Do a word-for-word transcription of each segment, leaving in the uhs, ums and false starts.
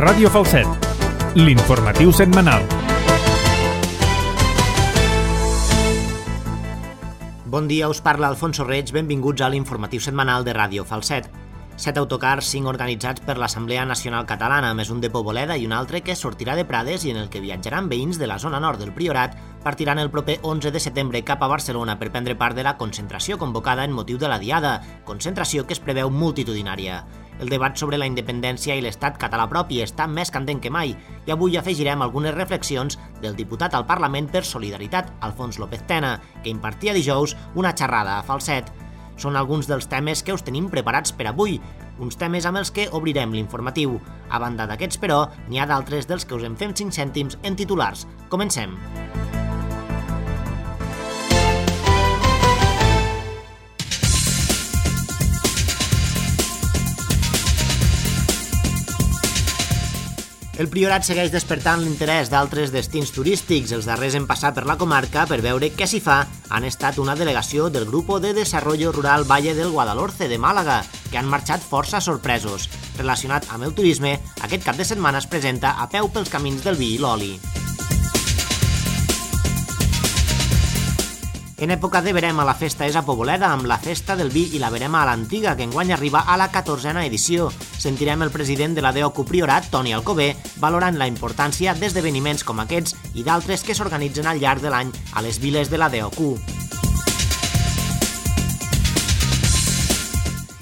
Ràdio Falset, l'informatiu setmanal. Bon dia, us parla Alfonso Reig, benvinguts a l'informatiu setmanal de Ràdio Falset. Set autocars, cinc organitzats per l'Assemblea Nacional Catalana, més un de Poboleda i un altre que sortirà de Prades i en el que viatjaran veïns de la zona nord del Priorat, partiran el proper onze de setembre cap a Barcelona per prendre part de la concentració convocada en motiu de la Diada, concentració que es preveu multitudinària. El debat sobre la independència i l'estat català propi està més candent que mai i avui afegirem algunes reflexions del diputat al Parlament per Solidaritat, Alfons López Tena, que impartia dijous una xerrada a Falset. Són alguns dels temes que us tenim preparats per avui, uns temes amb els que obrirem l'informatiu. A banda d'aquests, però, n'hi ha d'altres dels que us en fem cinc cèntims en titulars. Comencem! El Priorat segueix despertant l'interès d'altres destins turístics. Els darrers en passar per la comarca per veure què s'hi fa han estat una delegació del Grupo de Desarrollo Rural Valle del Guadalhorce de Màlaga, que han marxat força sorpresos. Relacionat amb el turisme, aquest cap de setmana es presenta a peu pels camins del vi i l'oli. En època de verema la festa és a Poboleda amb la Festa del Vi i la Verema a l'Antiga, que enguany arriba a la catorzena edició. Sentirem el president de la D O C U Priorat, Toni Alcover, valorant la importància d'esdeveniments com aquests i d'altres que s'organitzen al llarg de l'any a les viles de la D O C U.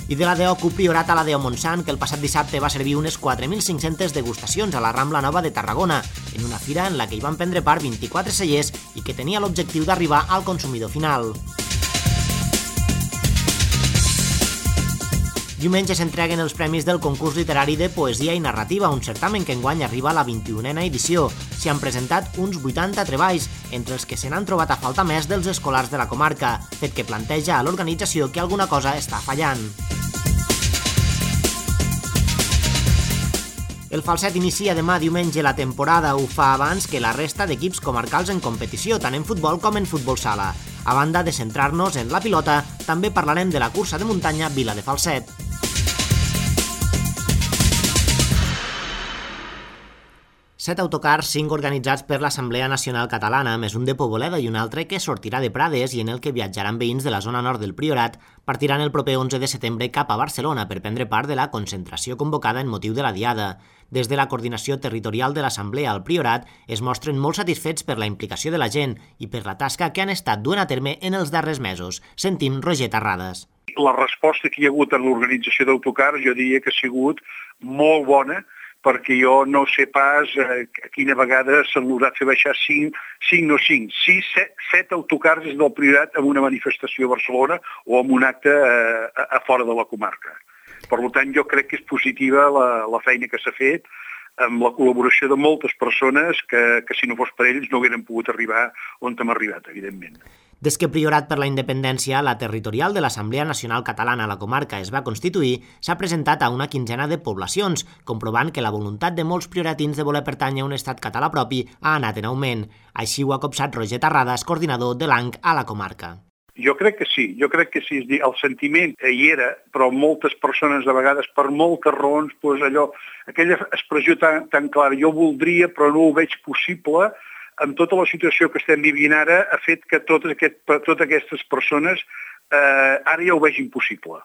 I de la D O C U Priorat a la D O Montsant, que el passat dissabte va servir unes quatre mil cinc-centes degustacions a la Rambla Nova de Tarragona, en una fira en la que hi van prendre part vint-i-quatre cellers i que tenia l'objectiu d'arribar al consumidor final. Diumenge s'entreguen els premis del concurs literari de poesia i narrativa, un certamen que enguany arriba a la vint-i-unena edició. S'hi han presentat uns vuitanta treballs, entre els que se n'han trobat a falta més dels escolars de la comarca, fet que planteja a l'organització que alguna cosa està fallant. El Falset inicia demà diumenge la temporada, ho fa abans que la resta d'equips comarcals en competició, tant en futbol com en futbol sala. A banda de centrar-nos en la pilota, també parlarem de la cursa de muntanya Vila de Falset. Set autocars, cinc organitzats per l'Assemblea Nacional Catalana, més un de Poboleda i un altre que sortirà de Prades i en el que viatjaran veïns de la zona nord del Priorat, partiran el proper onze de setembre cap a Barcelona per prendre part de la concentració convocada en motiu de la Diada. Des de la coordinació territorial de l'Assemblea al Priorat es mostren molt satisfets per la implicació de la gent i per la tasca que han estat duent a terme en els darrers mesos. Sentim Roger Terrades. La resposta que hi ha hagut en l'organització d'autocars jo diria que ha sigut molt bona, perquè jo no sé pas eh, quina vegada s'han lograt fer baixar cinc, cinc no cinc, sis, set, set autocars des del Priorat en una manifestació a Barcelona o en un acte eh, a, a fora de la comarca. Per tant, jo crec que és positiva la, la feina que s'ha fet amb la col·laboració de moltes persones que, que si no fos per ells no hagueren pogut arribar on hem arribat, evidentment. Des que Priorat per la Independència, la territorial de l'Assemblea Nacional Catalana a la comarca es va constituir, s'ha presentat a una quinzena de poblacions, comprovant que la voluntat de molts prioratins de voler pertànyer a un estat català propi ha anat en augment. Així ho ha copsat Roger Terrades, coordinador de l'A N C a la comarca. Jo crec que sí, jo crec que sí, és dir, el sentiment hi era, però moltes persones de vegades per moltes raons, doncs allò, aquella expressió tan, tan clara, jo voldria però no ho veig possible, amb tota la situació que estem vivint ara, ha fet que totes, aquest, totes aquestes persones eh, ara ja ho vegin possible.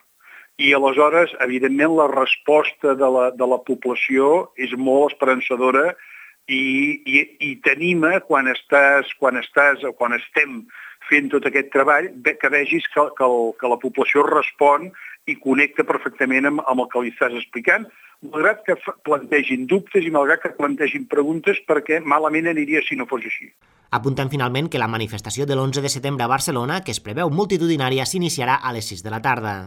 I aleshores, evidentment, la resposta de la, de la població és molt esperançadora i, i, i t'anima quan estàs, quan estàs o quan estem fent tot aquest treball, que vegis que, que, el, que la població respon i connecta perfectament amb, amb el que li estàs explicant, malgrat que plantegin dubtes i malgrat que plantegin preguntes, perquè malament aniria si no fos així. Apuntem finalment que la manifestació de l'onze de setembre a Barcelona, que es preveu multitudinària, s'iniciarà a les sis de la tarda.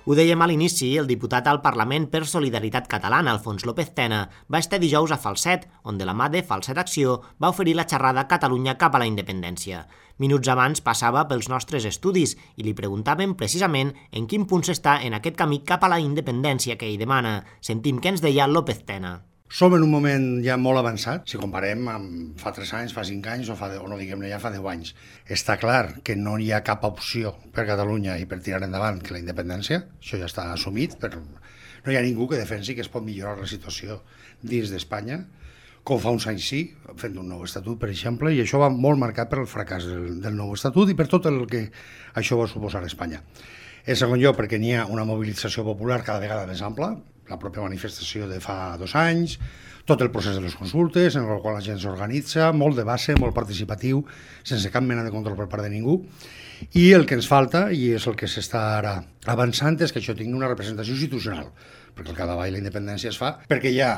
Ho dèiem a l'inici, el diputat al Parlament per Solidaritat Catalana, Alfons López Tena, va estar dijous a Falset, on de la mà de Falset Acció va oferir la xerrada Catalunya cap a la independència. Minuts abans passava pels nostres estudis i li preguntàvem precisament en quin punt s'està en aquest camí cap a la independència que ell demana. Sentim què ens deia López Tena. Som en un moment ja molt avançat, si comparem amb fa tres anys, fa cinc anys o, fa, o no diguem-ne ja fa deu anys. Està clar que no hi ha cap opció per Catalunya i per tirar endavant que la independència, això ja està assumit per No hi ha ningú que defensi que es pot millorar la situació dins d'Espanya, com fa uns anys sí, fent un nou estatut, per exemple, i això va molt marcat per el fracàs del, del nou estatut i per tot el que això va suposar a Espanya. En segon lloc, perquè n'hi ha una mobilització popular cada vegada més ampla, la pròpia manifestació de fa dos anys, tot el procés de les consultes, en el qual la gent s'organitza, molt de base, molt participatiu, sense cap mena de control per part de ningú, i el que ens falta, i és el que s'està ara avançant, és que això tingui una representació institucional, perquè el capdavall la independència es fa perquè hi ha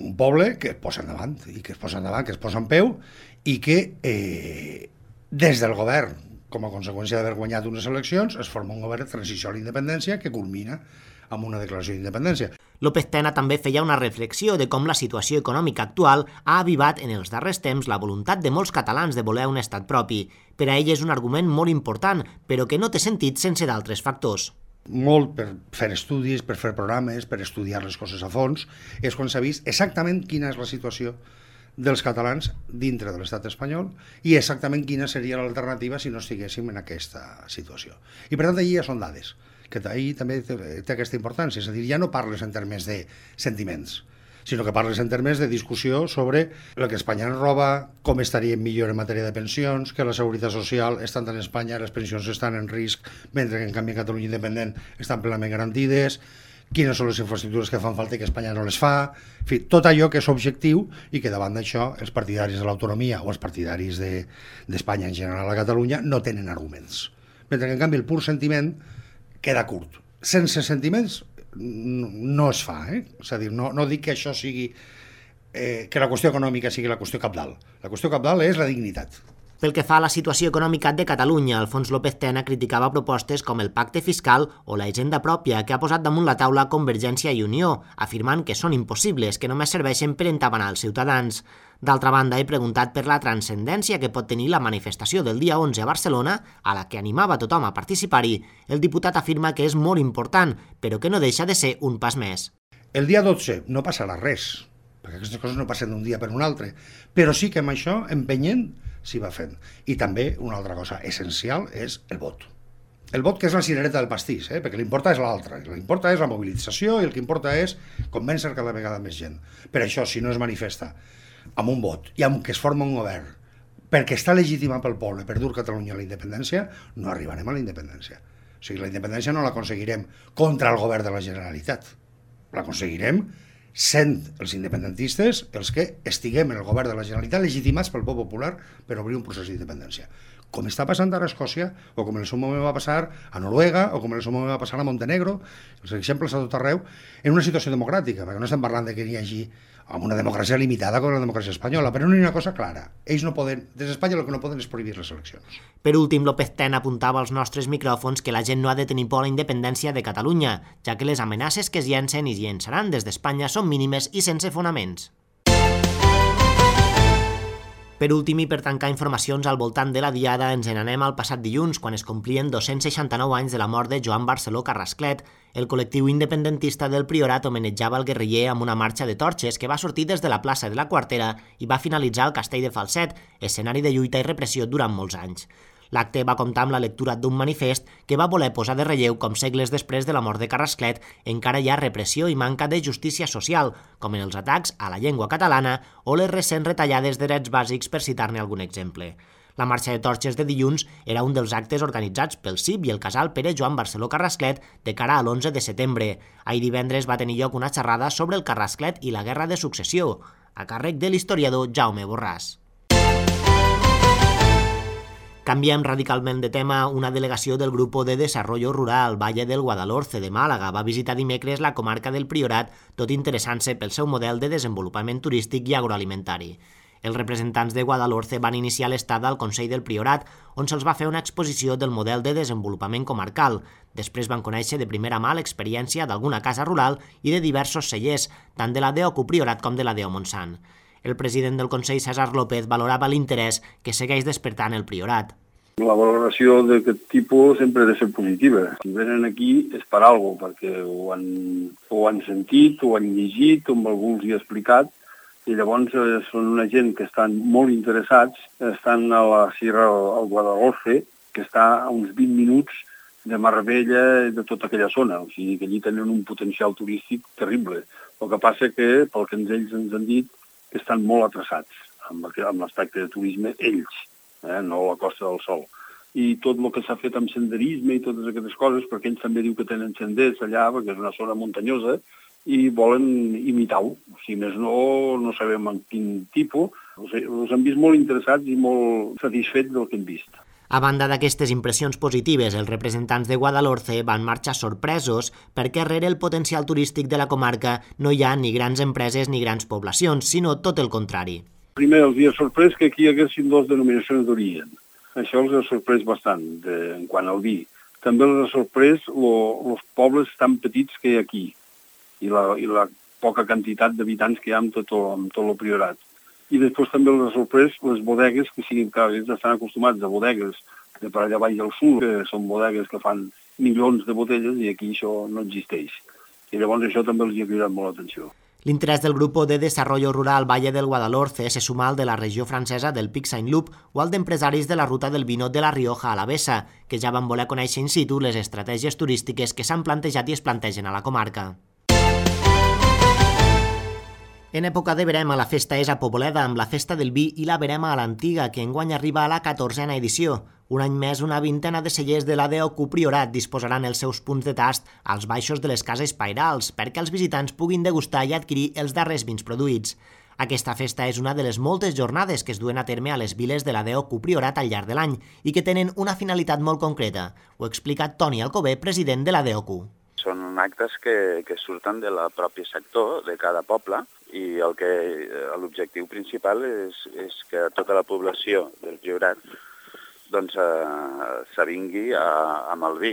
un poble que es posa endavant, i que es posa endavant, que es posa en peu, i que eh, des del govern, com a conseqüència d'haver guanyat unes eleccions, es forma un govern de transició a la independència que culmina amb una declaració d'independència. López Tena també feia una reflexió de com la situació econòmica actual ha avivat en els darrers temps la voluntat de molts catalans de voler un estat propi. Per a ell és un argument molt important, però que no té sentit sense d'altres factors. Molt per fer estudis, per fer programes, per estudiar les coses a fons, és quan s'ha vist exactament quina és la situació dels catalans dintre de l'estat espanyol i exactament quina seria l'alternativa si no estiguéssim en aquesta situació. I per tant, allà ja són dades, que ahir també té, té aquesta importància, és a dir, ja no parles en termes de sentiments, sinó que parles en termes de discussió sobre el que Espanya ens roba, com estaríem millor en matèria de pensions, que la seguretat social, estant en Espanya, les pensions estan en risc, mentre que en canvi en Catalunya independent estan plenament garantides, quines són les infraestructures que fan falta i que Espanya no les fa, en fi, tot allò que és objectiu i que davant d'això els partidaris de l'autonomia o els partidaris d'Espanya de, en general a Catalunya no tenen arguments. Mentre que en canvi el pur sentiment queda curt. Sense sentiments no es fa, eh? És a dir, no, no dic que això sigui, eh, que la qüestió econòmica sigui la qüestió cabdal. La qüestió cabdal és la dignitat. Pel que fa a la situació econòmica de Catalunya, Alfons López Tena criticava propostes com el pacte fiscal o la hisenda pròpia que ha posat damunt la taula Convergència i Unió, afirmant que són impossibles, que només serveixen per entabanar els ciutadans. D'altra banda, he preguntat per la transcendència que pot tenir la manifestació del dia onze a Barcelona, a la que animava tothom a participar-hi. El diputat afirma que és molt important, però que no deixa de ser un pas més. El dia dotze no passarà res, perquè aquestes coses no passen d'un dia per un altre, però sí que amb això, empenyent, s'hi va fent. I també una altra cosa essencial és el vot. El vot que és la cirereta del pastís, eh? Perquè l'importa és l'altre. L'importa és la mobilització i el que importa és convèncer cada vegada més gent. Per això, si no es manifesta amb un vot i amb que es forma un govern perquè està legitimat pel poble per dur Catalunya a la independència, no arribarem a la independència. O sigui, la independència no l'aconseguirem contra el govern de la Generalitat. L'aconseguirem sent els independentistes els que estiguem en el govern de la Generalitat legitimats pel poble popular per obrir un procés d'independència. Com està passant ara a Escòcia, o com en el seu moment va passar a Noruega, o com en el seu moment va passar a Montenegro, els exemples a tot arreu, en una situació democràtica, perquè no estem parlant de que n'hi hagi amb una democràcia limitada com la democràcia espanyola, però no hi ha una cosa clara. Ells no poden, des d'Espanya el que no poden és prohibir les eleccions. Per últim, López Tena apuntava als nostres micròfons que la gent no ha de tenir por a la independència de Catalunya, ja que les amenaces que es llencen i es llençaran des d'Espanya són mínimes i sense fonaments. Per últim i per tancar informacions al voltant de la Diada, ens n'anem al passat dilluns, quan es complien dos-cents seixanta-nou anys de la mort de Joan Barceló Carrasclet. El col·lectiu independentista del Priorat homenatjava el guerriller amb una marxa de torxes que va sortir des de la plaça de la Quartera i va finalitzar al Castell de Falset, escenari de lluita i repressió durant molts anys. L'acte va comptar amb la lectura d'un manifest que va voler posar de relleu com segles després de la mort de Carrasclet encara hi ha repressió i manca de justícia social, com en els atacs a la llengua catalana o les recents retallades de drets bàsics, per citar-ne algun exemple. La marxa de torxes de dilluns era un dels actes organitzats pel C I B i el casal Pere Joan Barceló Carrasclet de cara a l'onze de setembre. Ahir divendres va tenir lloc una xerrada sobre el Carrasclet i la Guerra de Successió, a càrrec de l'historiador Jaume Borràs. Canviem radicalment de tema. Una delegació del Grupo de Desarrollo Rural Valle del Guadalhorce de Màlaga va visitar dimecres la comarca del Priorat, tot interessant-se pel seu model de desenvolupament turístic i agroalimentari. Els representants de Guadalhorce van iniciar l'estada al Consell del Priorat, on se'ls va fer una exposició del model de desenvolupament comarcal. Després van conèixer de primera mà l'experiència d'alguna casa rural i de diversos cellers, tant de la d'Ocu Priorat com de la d'O Montsant. El president del Consell, César López, valorava l'interès que segueix despertant el Priorat. La valoració d'aquest tipus sempre ha de ser positiva. Si venen aquí és per alguna cosa, perquè ho han, ho han sentit, ho han llegit, com algú els hi ha explicat, i llavors eh, són una gent que estan molt interessats, estan a la Sierra al Guadalhorce, que està a uns vint minuts de Marbella i de tota aquella zona. O sigui que allí tenen un potencial turístic terrible. El que passa que, pel que ells ens han dit, que estan molt atrasats amb l'aspecte de turisme, ells, eh? no la Costa del Sol. I tot el que s'ha fet amb senderisme i totes aquestes coses, perquè ells també diu que tenen senders allà, perquè és una zona muntanyosa, i volen imitar-ho. Si més no, no sabem en quin tipus. O sigui, els han vist molt interessats i molt satisfets del que hem vist. A banda d'aquestes impressions positives, els representants de Guadalhorce van marxar sorpresos perquè rere el potencial turístic de la comarca no hi ha ni grans empreses ni grans poblacions, sinó tot el contrari. Primer els havia sorprès que aquí hi haguessin dues denominacions d'origen. Això els ha sorprès bastant de, en quant al vi. També els ha sorprès els pobles tan petits que hi ha aquí i la, i la poca quantitat d'habitants que hi ha amb tot, amb tot el priorat. I després també els ha sorprès les bodegues, que siguin que ells estan acostumats a bodegues de per allà baix al sud, que són bodegues que fan milions de botelles i aquí això no existeix. I llavors això també els ha cridat molt l'atenció. L'interès del Grup de Desarrollo Rural Valle del Guadalhorce se suma al de la regió francesa del Pic Saint-Loup o al d'empresaris de la ruta del vino de la Rioja a la Bessa, que ja van voler conèixer in situ les estratègies turístiques que s'han plantejat i es plantegen a la comarca. En època de verema, la festa és a Poboleda, amb la Festa del Vi i la Verema a l'Antiga, que enguany arriba a la catorzena edició. Un any més, una vintena de cellers de l'A D O Q Priorat disposaran els seus punts de tast als baixos de les cases pairals, perquè els visitants puguin degustar i adquirir els darrers vins produïts. Aquesta festa és una de les moltes jornades que es duen a terme a les viles de l'A D O Q Priorat al llarg de l'any i que tenen una finalitat molt concreta. Ho explica Toni Alcover, president de l'A D O Q. Són actes que, que surten del propi sector de cada poble i el que l'objectiu principal és, és que tota la població del Priorat doncs, eh, s'avingui amb el vi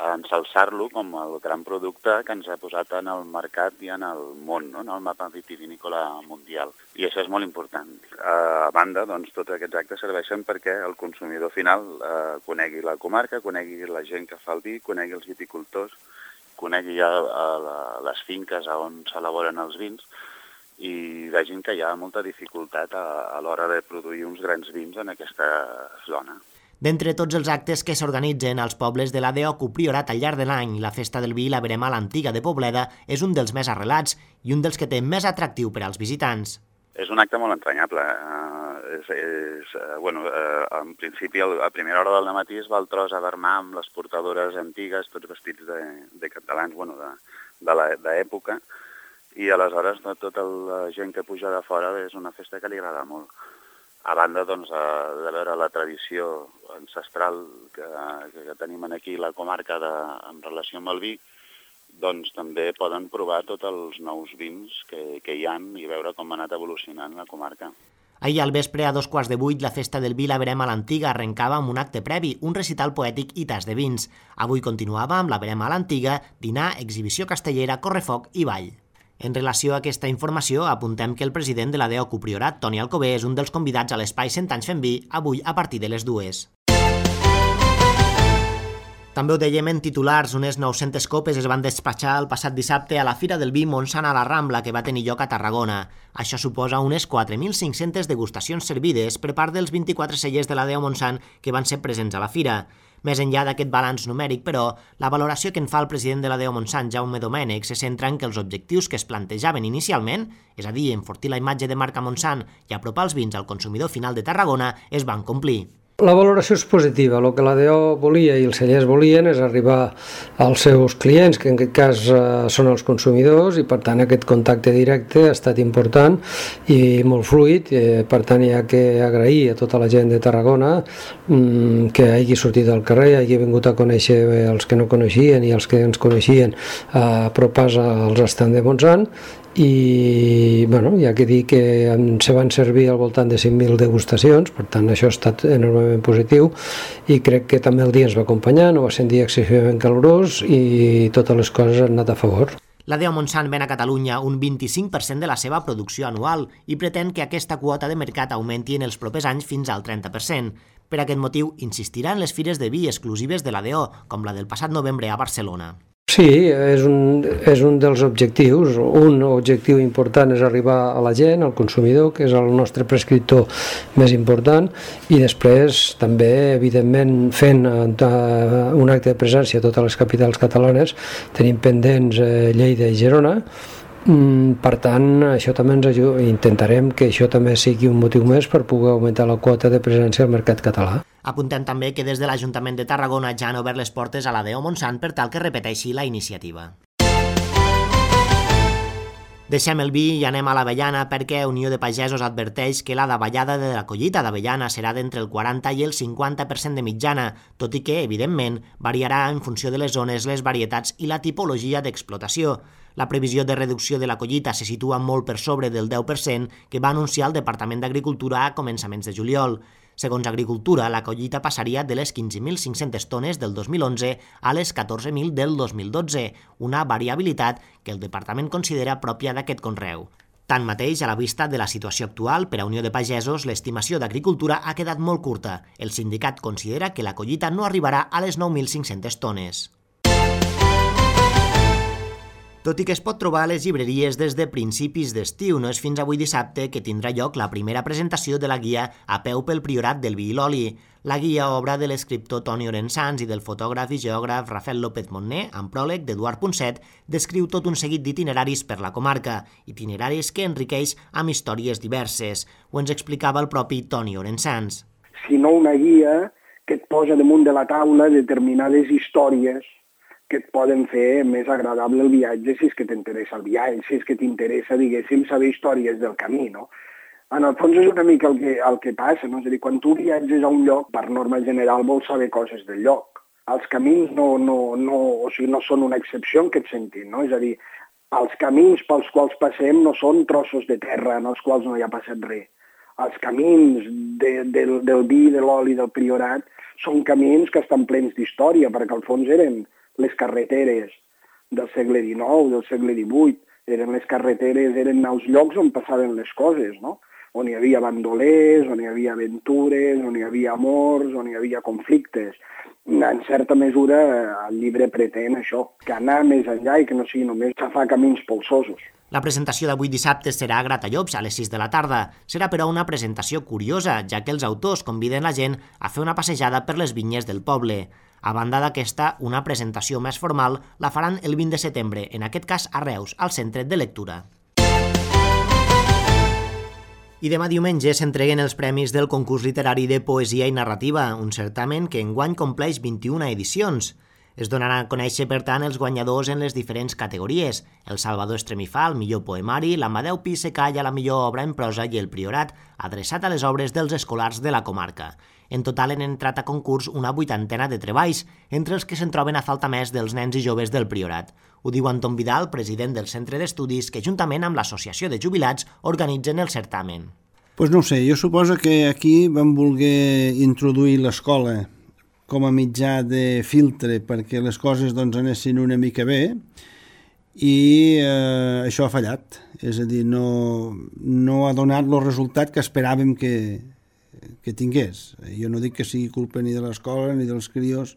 a ensalçar-lo com el gran producte que ens ha posat en el mercat i en el món, no? En el mapa vitivinícola mundial. I això és molt important. A banda, doncs, tots aquests actes serveixen perquè el consumidor final eh, conegui la comarca, conegui la gent que fa el vi, conegui els viticultors, conegui ja les finques on s'elaboren els vins i vegin que hi ha molta dificultat a, a l'hora de produir uns grans vins en aquesta zona. D'entre tots els actes que s'organitzen als pobles de l'A D O Q Priorat al llarg de l'any, la Festa del Vi i la Verema a l'Antiga de Pobleda és un dels més arrelats i un dels que té més atractiu per als visitants. És un acte molt entranyable. Uh, és, és, uh, bueno, uh, en principi, a primera hora del matí es va al tros a Vermà amb les portadores antigues, tots vestits de, de catalans, bueno, de l'època, i aleshores tota la gent que puja de fora és una festa que li agrada molt. A banda doncs, de veure la tradició ancestral que, que tenim aquí a la comarca de, en relació amb el vi, doncs també poden provar tots els nous vins que, que hi ha i veure com ha anat evolucionant la comarca. Ahir al vespre, a dos quarts de vuit, la Festa del Vi i la Verema a l'Antiga arrencava amb un acte previ, un recital poètic i tas de vins. Avui continuava amb la Verema a l'Antiga, dinar, exhibició castellera, correfoc i ball. En relació a aquesta informació, apuntem que el president de l'A D O Q Priorat, Toni Alcover, és un dels convidats a l'espai cent anys fent vi, avui a partir de les dues. També ho dèiem en titulars, unes nou-centes copes es van despatxar el passat dissabte a la Fira del Vi Montsant a la Rambla, que va tenir lloc a Tarragona. Això suposa unes quatre mil cinc-centes degustacions servides per part dels vint-i-quatre cellers de l'A D O Montsant que van ser presents a la fira. Més enllà d'aquest balanç numèric, però, la valoració que en fa el president de l'A D O Montsant, Jaume Domènech, se centra en que els objectius que es plantejaven inicialment, és a dir, enfortir la imatge de marca Montsant i apropar els vins al consumidor final de Tarragona, es van complir. La valoració és positiva. El que l'A D O volia i els cellers volien és arribar als seus clients, que en aquest cas eh, són els consumidors, i per tant aquest contacte directe ha estat important i molt fluid. Eh, per tant hi ha que agrair a tota la gent de Tarragona mm, que hagi sortit al carrer, hagi vingut a conèixer els que no coneixien i els que ens coneixien a apropar-se als estands de Montsant. I bueno, hi ha que dir que se van servir al voltant de cinc mil degustacions, per tant això ha estat enormement positiu i crec que també el dia ens va acompanyar, no va ser un dia excessivament calorós i totes les coses han anat a favor. L'A D O Montsant ven a Catalunya un vint-i-cinc per cent de la seva producció anual i pretén que aquesta quota de mercat augmenti en els propers anys fins al trenta per cent. Per aquest motiu, insistirà en les fires de vi exclusives de l'A D O, com la del passat novembre a Barcelona. Sí, és un, és un dels objectius. Un objectiu important és arribar a la gent, al consumidor, que és el nostre prescriptor més important, i després també, evidentment, fent un acte de presència a totes les capitals catalanes, tenim pendents Lleida i Girona. Per tant, això també ens ajuda, intentarem que això també sigui un motiu més per poder augmentar la quota de presència al mercat català. Apuntem també que des de l'Ajuntament de Tarragona ja han obert les portes a la D O Montsant per tal que repeteixi la iniciativa. Deixem el vi i anem a l'avellana perquè Unió de Pagesos adverteix que la davallada de la collita d'avellana serà d'entre el quaranta i el cinquanta per cent de mitjana, tot i que, evidentment, variarà en funció de les zones, les varietats i la tipologia d'explotació. La previsió de reducció de la collita se situa molt per sobre del deu per cent que va anunciar el Departament d'Agricultura a començaments de juliol. Segons Agricultura, la collita passaria de les quinze mil cinc-centes tones del dos mil onze a les catorze mil del dos mil dotze, una variabilitat que el departament considera pròpia d'aquest conreu. Tanmateix, a la vista de la situació actual, per a Unió de Pagesos, l'estimació d'Agricultura ha quedat molt curta. El sindicat considera que la collita no arribarà a les nou mil cinc-centes tones. Tot i que es pot trobar a les llibreries des de principis d'estiu, no és fins avui dissabte que tindrà lloc la primera presentació de la guia A peu pel Priorat del vi i l'oli. La guia, obra de l'escriptor Toni Orensans i del fotògraf i geògraf Rafael López Montner, amb pròleg d'Eduard Punset, descriu tot un seguit d'itineraris per la comarca, itineraris que enriqueix amb històries diverses. Ho ens explicava el propi Toni Orensans. Sinó una guia que et posa damunt de la taula determinades històries que et poden fer més agradable el viatge si és que t'interessa el viatge, si és que t'interessa, diguéssim, saber històries del camí, no? En el fons és una mica el que, el que passa, no? És a dir, quan tu viatges a un lloc, per norma general vols saber coses del lloc. Els camins no, no, no, o sigui, no són una excepció en aquest sentit, no? És a dir, els camins pels quals passem no són trossos de terra en els quals no hi ha passat res. Els camins de, del, del vi, de l'oli, del Priorat, són camins que estan plens d'història, perquè al fons eren les carreteres del segle dinou, del segle divuit, eren les carreteres, eren els llocs on passaven les coses, no? On hi havia bandolers, on hi havia aventures, on hi havia amors, on hi havia conflictes. En certa mesura, el llibre pretén això, que anar més enllà i que no sigui només xafar camins polsosos. La presentació d'avui dissabte serà a Gratallops a les sis de la tarda. Serà, però, una presentació curiosa, ja que els autors conviden la gent a fer una passejada per les vinyes del poble. A banda d'aquesta, una presentació més formal la faran el vint de setembre, en aquest cas a Reus, al Centre de Lectura. I demà diumenge s'entreguen els premis del concurs literari de poesia i narrativa, un certamen que enguany compleix vint-i-una edicions. Es donaran a conèixer, per tant, els guanyadors en les diferents categories: el Salvador Estremifà, el millor poemari, l'Amadeu Pi Secall a la millor obra en prosa i el Priorat, adreçat a les obres dels escolars de la comarca. En total han entrat a concurs una vuitantena de treballs, entre els que se'n troben a falta més dels nens i joves del Priorat. Ho diu Anton Vidal, president del Centre d'Estudis, que juntament amb l'Associació de Jubilats organitzen el certamen. Pues no ho sé, jo suposo que aquí vam voler introduir l'escola com a mitjà de filtre perquè les coses doncs, anessin una mica bé i eh, això ha fallat. És a dir, no, no ha donat el resultat que esperàvem que, que tingués. Jo no dic que sigui culpa ni de l'escola, ni dels crios,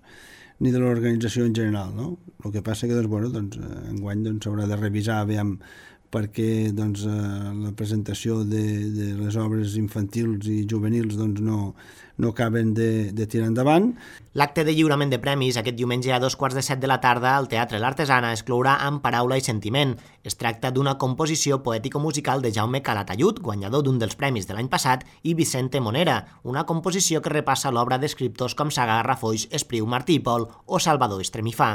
ni de l'organització en general, no? El que passa que doncs, bueno, doncs, enguany doncs, s'haurà de revisar aviam perquè doncs, eh, la presentació de, de les obres infantils i juvenils doncs, no, no acaben de, de tirar endavant. L'acte de lliurament de premis aquest diumenge a dos quarts de set de la tarda al Teatre L'Artesana es clourà amb Paraula i Sentiment. Es tracta d'una composició poètico-musical de Jaume Calatayud, guanyador d'un dels premis de l'any passat, i Vicente Monera, una composició que repassa l'obra d'escriptors com Sagarra, Foix, Espriu, Martí i Pol o Salvador Estremifà.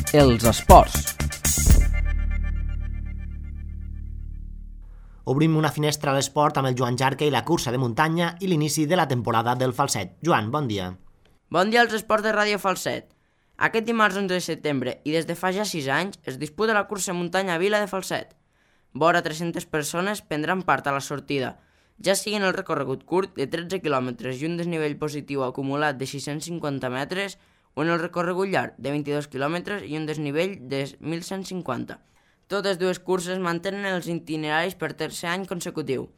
Els esports. Obrim una finestra a l'esport amb el Joan Jarque i la cursa de muntanya i l'inici de la temporada del Falset. Joan, bon dia. Bon dia als esports de Ràdio Falset. Aquest dimarts onze de setembre i des de fa ja sis anys es disputa la cursa de muntanya a Vila de Falset. Vora tres-centes persones prendran part a la sortida, ja sigui en el recorregut curt de tretze quilòmetres i un desnivell positiu acumulat de sis-cents cinquanta metres o en el recorregut llarg de vint-i-dos quilòmetres i un desnivell de mil cent cinquanta. Totes dues curses mantenen els itineraris per tercer any consecutiu.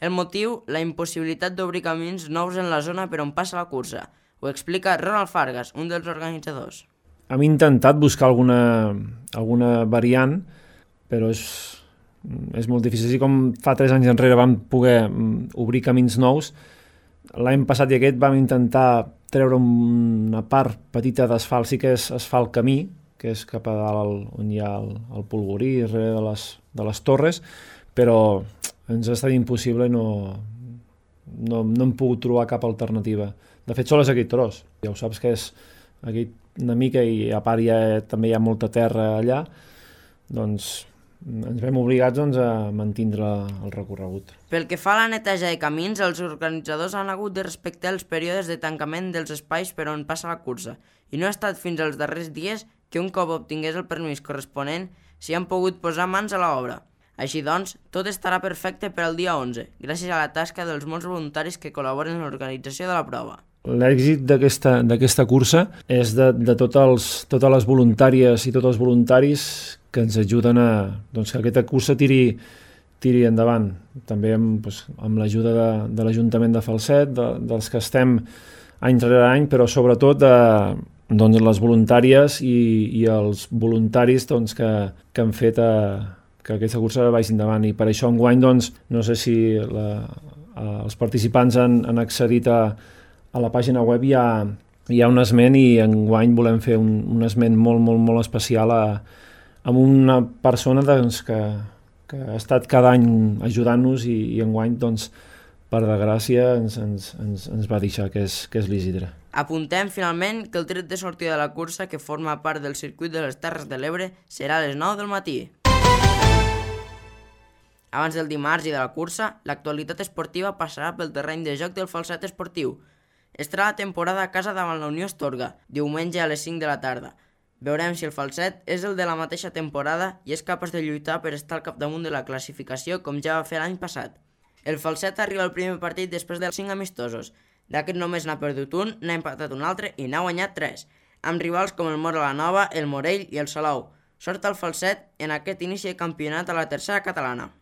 El motiu, la impossibilitat d'obrir camins nous en la zona per on passa la cursa. Ho Ho explica Ronald Fargas, un dels organitzadors. Hem intentat buscar alguna, alguna variant, però és, és molt difícil. Així com fa tres anys enrere vam poder obrir camins nous, l'any passat i aquest vam intentar treure una part petita d'asfalt, sí que és asfalt camí, que és cap a dalt on hi ha el, el polvorí, darrere de les, de les torres, però ens ha estat impossible i no, no, no hem pogut trobar cap alternativa. De fet, sol és aquest tros. Ja ho saps que és aquí una mica i a part ja, també hi ha molta terra allà, doncs ens vam obligats doncs, a mantindre el recorregut. Pel que fa a la neteja de camins, els organitzadors han hagut de respectar els períodes de tancament dels espais per on passa la cursa i no ha estat fins als darrers dies que un cop obtingués el permís corresponent s'hi han pogut posar mans a l'obra. Així doncs, tot estarà perfecte per al dia onze, gràcies a la tasca dels molts voluntaris que col·laboren en l'organització de la prova. L'èxit d'aquesta cursa és de, de tots els, totes les voluntàries i tots els voluntaris que ens ajuden a doncs, que aquesta cursa tiri, tiri endavant. També amb, doncs, amb l'ajuda de, de l'Ajuntament de Falset, de, dels que estem any rere any, però sobretot de, doncs, les voluntàries i, i els voluntaris doncs, que, que han fet a, que aquesta cursa vagi endavant. I per això enguany, doncs, no sé si la, els participants han, han accedit a, a la pàgina web, hi ha, hi ha un esment i enguany volem fer un, un esment molt, molt, molt especial a, amb una persona doncs, que, que ha estat cada any ajudant-nos i, i enguany, doncs, per desgràcia, ens, ens, ens, ens va deixar, que és, que és l'Isidre. Apuntem finalment que el tret de sortida de la cursa, que forma part del circuit de les Terres de l'Ebre, serà a les nou del matí. Abans del dimarts i de la cursa, l'actualitat esportiva passarà pel terreny de joc del Falset Esportiu. Estarà la temporada a casa davant la Unió Astorga, diumenge a les cinc de la tarda. Veurem si el Falset és el de la mateixa temporada i és capaç de lluitar per estar al capdamunt de la classificació com ja va fer l'any passat. El Falset arriba al primer partit després dels cinc amistosos. D'aquest només n'ha perdut un, n'ha empatat un altre i n'ha guanyat tres, amb rivals com el Móra la Nova, el Morell i el Salou. Sort al Falset en aquest inici de campionat a la tercera catalana.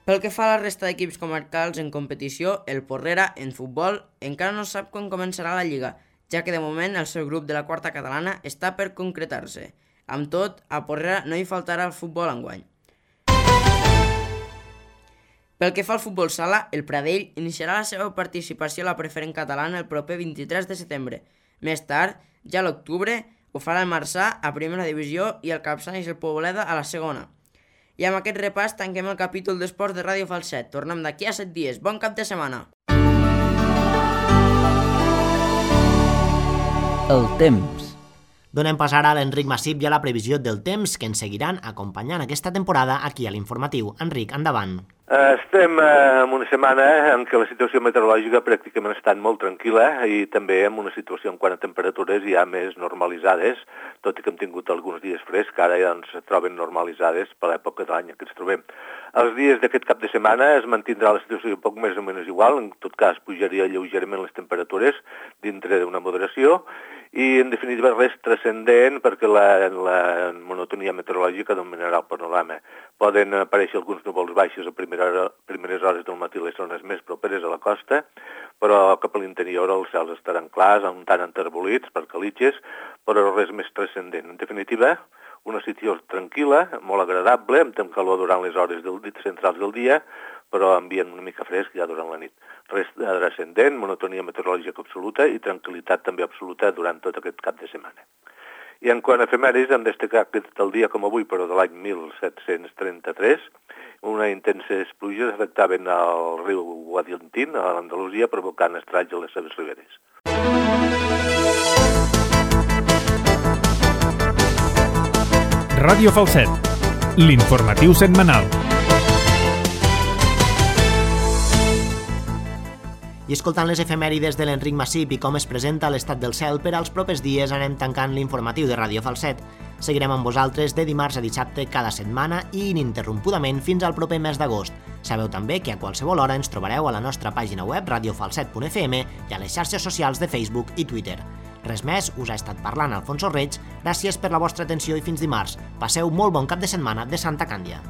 Pel que fa a la resta d'equips comarcals en competició, el Porrera, en futbol, encara no sap quan començarà la Lliga, ja que de moment el seu grup de la quarta catalana està per concretar-se. Amb tot, a Porrera no hi faltarà el futbol enguany. Pel que fa al futbol sala, el Pradell iniciarà la seva participació a la preferent catalana el proper vint-i-tres de setembre. Més tard, ja a l'octubre, ho farà el Marçà a primera divisió i el Capçanes i el Poboleda a la segona. I amb aquest repàs tanquem el capítol d'esports de Ràdio Falset. Tornem d'aquí a set dies. Bon cap de setmana! El temps. Donem pas ara a l'Enric Massip i a la previsió del temps que ens seguiran acompanyant aquesta temporada aquí a l'Informatiu. Enric, endavant. Estem en una setmana en què la situació meteorològica pràcticament ha estat molt tranquil·la i també en una situació en quant a temperatures ja més normalitzades, tot i que hem tingut alguns dies frescs, que ara ja doncs, es troben normalitzades per l'època de l'any que ens trobem. Els dies d'aquest cap de setmana es mantindrà la situació un poc més o menys igual, en tot cas pujaria lleugerament les temperatures dintre d'una moderació i en definitiva res transcendent perquè la, la monotonia meteorològica dominarà el panorama. Poden aparèixer alguns núvols baixos a primera, primeres hores del matí a les zones més properes a la costa, però cap a l'interior els cels estaran clars, un tant enterbolits per calitges, però res més transcendent. En definitiva, una situació tranquil·la, molt agradable, amb temps calor durant les hores del, centrals del dia, però ambient una mica fresc ja durant la nit. Res transcendent, monotonia meteorològica absoluta i tranquil·litat també absoluta durant tot aquest cap de setmana. I en quant a efemèris, hem destacat que el dia com avui, però de l'any mil set-cents trenta-tres, una intenses pluges afectaven el riu Guadiantín, a l'Andalusia, provocant estralls a les seves riberes. Ràdio Falset, l'informatiu setmanal. I escoltant les efemèrides de l'Enric Massip i com es presenta l'estat del cel, per als propers dies anem tancant l'informatiu de Ràdio Falset. Seguirem amb vosaltres de dimarts a dissabte cada setmana i ininterrompudament fins al proper mes d'agost. Sabeu també que a qualsevol hora ens trobareu a la nostra pàgina web radio falset punt f m i a les xarxes socials de Facebook i Twitter. Res més, us ha estat parlant Alfonso Reig, gràcies per la vostra atenció i fins dimarts. Passeu molt bon cap de setmana de Santa Càndia.